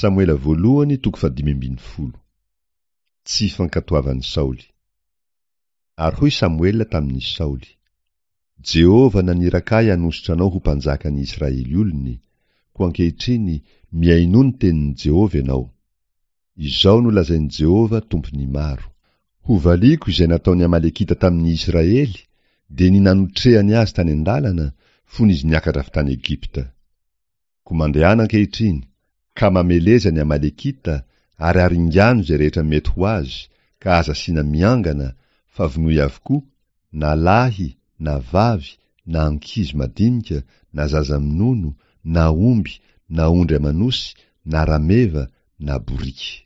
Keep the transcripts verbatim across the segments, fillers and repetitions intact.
Samoela voalohany toko fahadimy ambin'ny folo. Tsy fankatoavan'i Saoly. Ary hoy Samoela tamin'i Saoly, Jehovah naniraka ahy hanosotra anao ho mpanjakan'ny Israely olony, koa ankehitriny mihainoa ny tenin'i Jehovah ianao. Izao no lazain'i Jehovah Tompon'ny maro, Hovaliako izay nataon'ny Amalekita tamin'ny Israely, dia ny nanotrehany azy tany an-dalana, fony izy niakatra avy tany Egypta. Koa mandehana ankehitriny, ka mameleza ny Amalekita, ary aringano izay rehetra mety ho azy, ka aza asiana miangana, fa vonoy avokoa, na lahy, na vavy, na ankizy madinika, na zaza minono, na omby, na ondry aman'osy, na rameva, na boriky.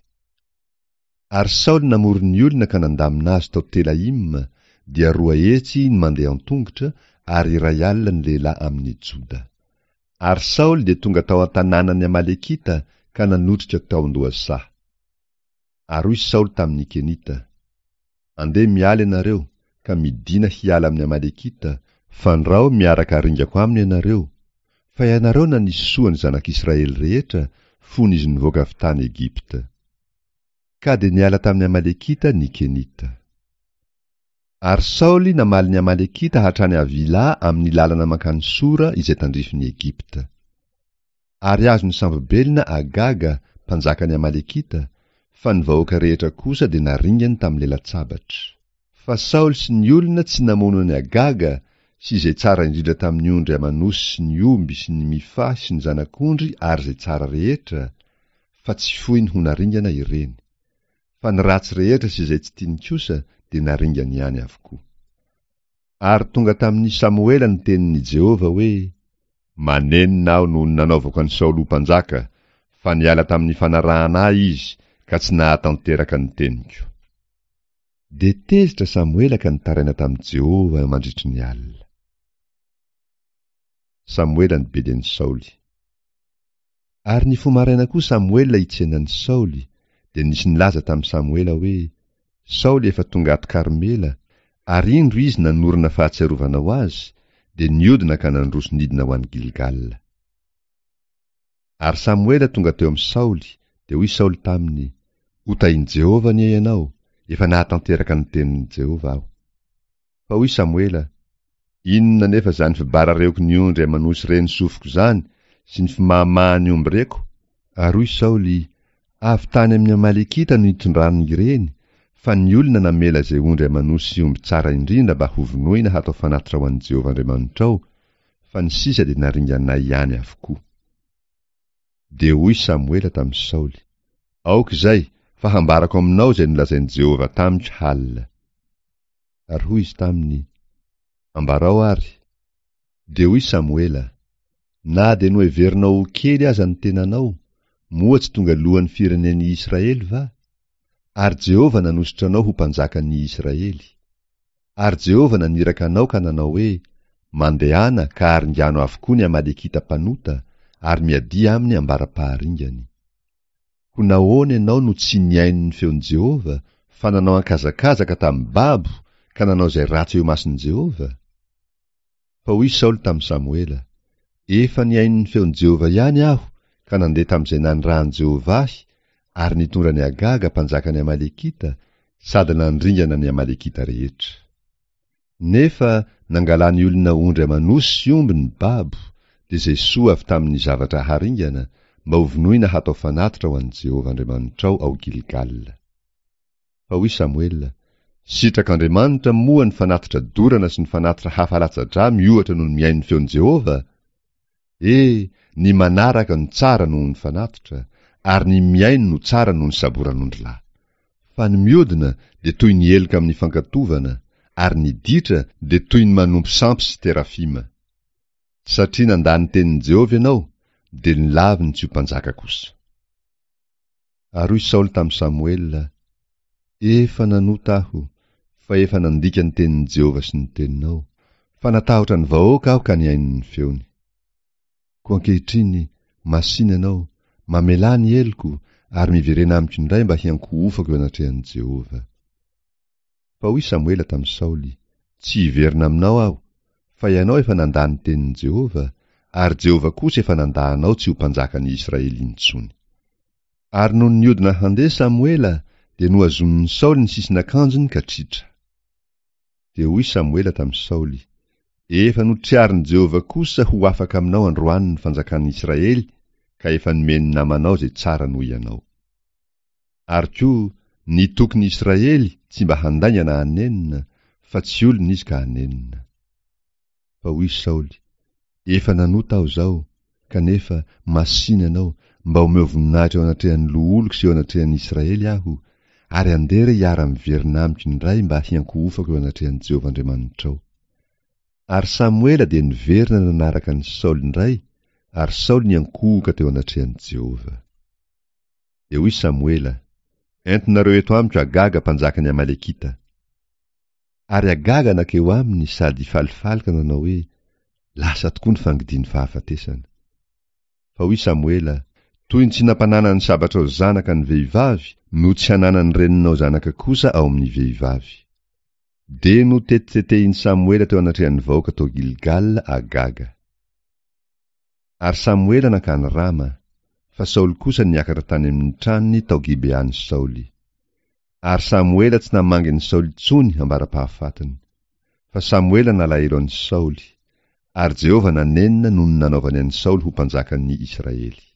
Ary Saoly namory ny olona ka nandamina azy tao Telaima, dia roa hetsy ny mandeha an-tongotra, ary iray alina ny lehilahy amin'ny Joda. Ary Saoly dia tonga tao an-tanànan'ny Amalekita ka nanotrika tao an-dohasaha. Ary hoy Saoly tamin'ny Kenita, Andeha miala ianareo, ka midìna hiala amin'ny Amalekita, fandrao miaraka aringako aminy ianareo, fa ianareo nanisy soa ny zanak'Israely rehetra, fony izy nivoaka avy tany Egypta. Ka dia niala tamin'ny Amalekita ny Kenita. Ary Saoly namaly ny Amalekita hatrany Havilà amin'ny lalana mankany Sora izay tandrifin'i Egypta. Ary azony sambo-belona Agaga, mpanjakan'ny Amalekita, fa ny vahoaka rehetra kosa dia naringany tamin'ny lela-tsabatra. Fa Saoly sy ny olona tsy namono an'i Agaga sy izay tsara indrindra tamin'ny ondry aman'osy sy ny omby sy ny mifahy sy ny zanak'ondry ary izay tsara rehetra, fa tsy foiny ho naringana ireny. Fa ny ratsy rehetra sy izay tsy tiany kosa dia naringany ihany avokoa. Ary tonga tamin'i Samoela ny tenin'i Jehovah hoe, Manenina aho noho ny nanaovako an'i Saoly ho mpanjaka, fa niala tamin'ny fanarahana ahy izy ka tsy nahatanteraka ny teniko. Dia tezitra Samoela ka nitaraina tamin'i Jehovah mandritry ny alina. Samoela nibedy an'i Saoly. Ary nifoha maraina koa Samoela hitsena an'i Saoly, dia nisy nilaza tamin'i Samoela hoe, Saoly efa tonga ato Karmela, ary indro izy nanorina fahatsiarovana ho azy, dia niodina ka nandroso nidina ho any Gilgala. Ary Samoela tonga teo amin'i Saoly, dia hoy Saoly taminy, Ho tahin'i Jehovah anie ianao, efa nahatanteraka ny tenin'i Jehovah aho. Fa hoy Samoela, Inona anefa izany fibarareoky ny ondry aman'osy reny sofiko izany sy ny fimahamahan'ny omby reko? Ary hoy Saoly, Avy tany amin'ny Amalekita no nitondrany ireny, fa ny olona namela izay ondry aman'osy sy omby tsara indrindra mba hovonoina hatao fanatitra ho an'i Jehovah Andriamanitrao, fa ny sisa dia naringanay ihany avokoa. Dia hoy Samoela tamin'i Saoly, Aoka izay, fa hambarako aminao izay nolazain'i Jehovah tamiko halina. Ary hoy izy taminy, Ambarao àry. Dia hoy Samoela, Na dia noheverinao ho kely aza ny tenanao, moa tsy tonga lohan'ny firenen'i Israely va? Ary Jehovah nanosotra anao ho mpanjakan'ny Israely. Ary Jehovah naniraka anao ka nanao hoe, Mandehana ka aringano avokoa ny Amalekita mpanota, ary miadia aminy ambara-paharingany. Koa nahoana ianao no tsy nihaino ny feon'i Jehovah, fa nanao ankazakazaka tamin'ny babo ka nanao izay ratsy eo imason'i Jehovah? Fa hoy Saoly tamin'i Samoela, Efa nihaino ny feon'i Jehovah ihany aho ka nandeha tamin'izay nanirahan'i Jehovah ahy, ary nitondra an'i Agaga mpanjakan'ny Amalekita, sady nandringana ny Amalekita rehetra. Nefa nangalan'ny olona ondry aman'osy sy omby ny babo, dia izay soa avy tamin'ny zavatra haringana, mba hovonoina hatao fanatitra ho an'i Jehovah Andriamanitrao ao Gilgala. Fa hoy Samoela, Sitrak'Andriamanitra moa ny fanatitra dorana sy ny fanatitra hafa latsa-drà miohatra noho ny mihaino ny feon'i Jehovah? E, ny manaraka no tsara noho ny fanatitra, ary ny mihaino no tsara noho ny saboran'ondrilahy. Fa ny miodina dia toy ny heloka amin'ny fankatovana, ary ny ditra dia toy ny manompo sampy sy terafima. Satria nandà ny tenin'i Jehovah ianao, dia nolaviny tsy ho mpanjaka kosa. Ary hoy Saoly tamin'i Samoela, Efa nanota aho, fa efa nandika ny tenin'i Jehovah sy ny teninao, fa natahotra ny vahoaka aho ka nihaino ny feony. Koa ankehitriny, masìna ianao, mamelà ny heloko, ary miverena amiko indray mba hiankohofako eo anatrehan'i Jehovah. Fa hoy Samoela tamin'i Saoly, Tsy hiverina aminao aho, fa ianao efa nandà ny tenin'i Jehovah, ary Jehovah kosa efa nandà anao tsy ho mpanjakan'ny Israely intsony. Ary nony niodina handeha Samoela, dia nohazonin'i Saoly ny sisin'akanjony ka tritra. Dia hoy Samoela tamin'i Saoly, Efa notriarin'i Jehovah kosa ho afaka aminao androany ny fanjakan'ny Israely, ka efa nomeny namanao izay tsara noho ianao. Ary koa, ny tokin'ny Israely tsy mba handainga na hanenina, fa tsy olona izy ka hanenina. Fa hoy Saoly, Efa nanota aho izao, kanefa masìna ianao, mba omeo voninahitra eo anatrehan'ny loholoko sy eo anatrehan'ny Israely aho, ary andeha re hiara-miverina amiko indray mba hiankohofako eo anatrehan'i Jehovah Andriamanitrao. Ary Samoela dia niverina nanaraka an'i Saoly indray, ary Saoly niankohoka teo anatrehan'i Jehovah. Dia hoy Samoela, Entinareo eto amiko Agaga mpanjakan'ny Amalekita. Ary Agaga nankeo aminy sady falifaly ka nanao hoe, Lasa tokoa ny fangidian'ny fahafatesana. Fa hoy Samoela, Toy ny tsy nampananan'ny sabatrao zanaka ny vehivavy no tsy hananan'ny reninao zanaka kosa ao amin'ny vehivavy. Dia notetitetehin'i Samoela teo anatrehan'ny vahoaka tao Gilgala Agaga. Ary Samoela nankany Rama, fa Saoly kosa niakatra tany amin'ny tranony tao Gibean'i Saoly. Ary Samoela tsy namangy an'i Saoly intsony ambara-pahafatiny. Fa Samoela nalahelo an'i Saoly, ary Jehovah nanenina noho ny nanaovany an'i Saoly ho mpanjakan'ny Israely.